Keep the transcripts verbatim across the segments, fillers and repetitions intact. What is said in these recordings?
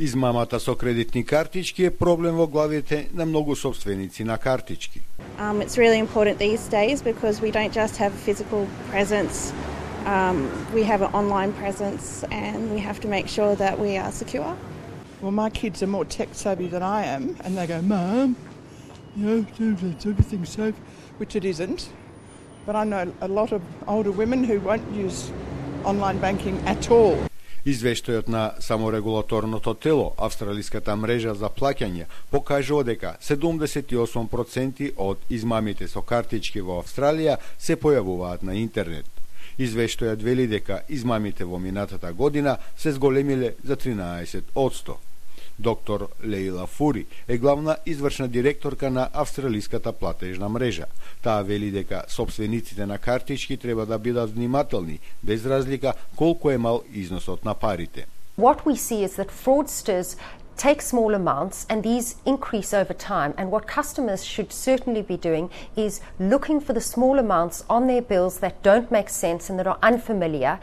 Измамата со кредитни картички е проблем во главите на многу собственици на картички. Um, it's really important these days because we don't just have a physical presence, um, we have an online presence and we have to make sure that we are secure. Well, my kids are more tech savvy than I am and they go, Mum, you know, everything's safe, which it isn't. But I know a lot of older women who won't use online banking at all. Извештајот на саморегулаторното тело, Австралиската мрежа за плаќање, покажува дека седумдесет и осум проценти од измамите со картички во Австралија се појавуваат на интернет. Извештајот вели дека измамите во минатата година се зголемиле за тринаесет одсто. Доктор Лейла Фури е главна извршна директорка на Австралиската платежна мрежа. Таа вели дека собствениците на картички треба да бидат внимателни, без разлика колку е мал износот на парите. What we see is that fraudsters take small amounts and these increase over time, and what customers should certainly be doing is looking for the small amounts on their bills that don't make sense and that are unfamiliar.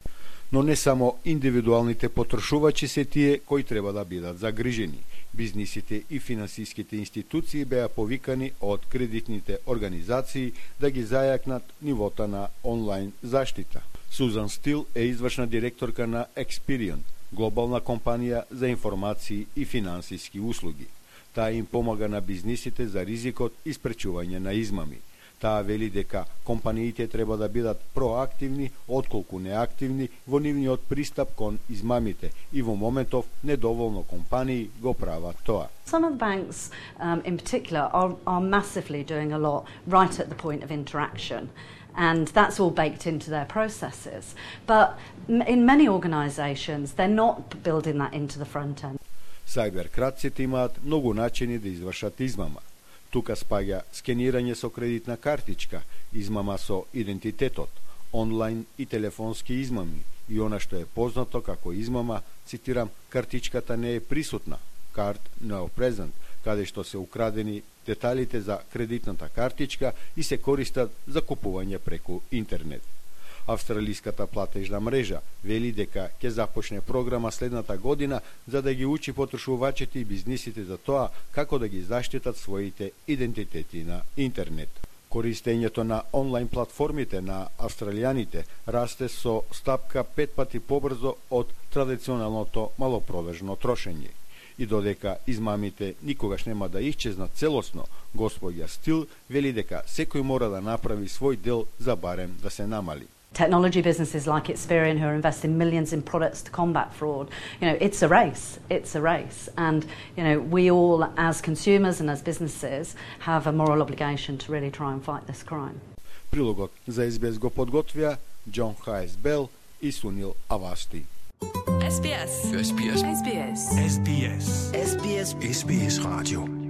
Но не само индивидуалните потрошувачи се тие кои треба да бидат загрижени. Бизнисите и финансиските институции беа повикани од кредитните организации да ги зајакнат нивото на онлайн заштита. Сузан Стил е извршна директорка на Experian, глобална компанија за информации и финансиски услуги. Таа им помага на бизнисите за ризикот и спречување на измами. Таа вели дека компаниите треба да бидат проактивни отколку неактивни во нивниот пристап кон измамите и во моментов недоволно компании го прават тоа. Some of the banks um, in particular are, are massively doing a lot right at the point of interaction. And that's all baked into their processes. But in many organisations, they're not building that into the front end. Сајберкратците имаат многу начини да извршат измама. Тука спаѓа скенирање со кредитна картичка, измама со идентитетот, онлайн и телефонски измами и она што е познато како измама, цитирам, картичката не е присутна, card no present, каде што се украдени деталите за кредитната картичка и се користат за купување преку интернет. Австралиската платежна мрежа вели дека ќе започне програма следната година за да ги учи потрошувачите и бизнисите за тоа како да ги заштитат своите идентитети на интернет. Користењето на онлайн платформите на австралијаните расте со стапка пет пати побрзо од традиционалното малопродажно трошење. И додека измамите никогаш нема да исчезнат целосно, господја Стил вели дека секој мора да направи свој дел за барем да се намали. Technology businesses like Experian, who are investing millions in products to combat fraud, you know, it's a race. It's a race. And, you know, we all, as consumers and as businesses, have a moral obligation to really try and fight this crime. Прилогот за Ес Би Ес го подготвија Џон Хајс Бел и Сунил Авасти. Ес Би Ес. Ес Би Ес. Ес Би Ес. Ес Би Ес. Ес Би Ес. Ес Би Ес Radio.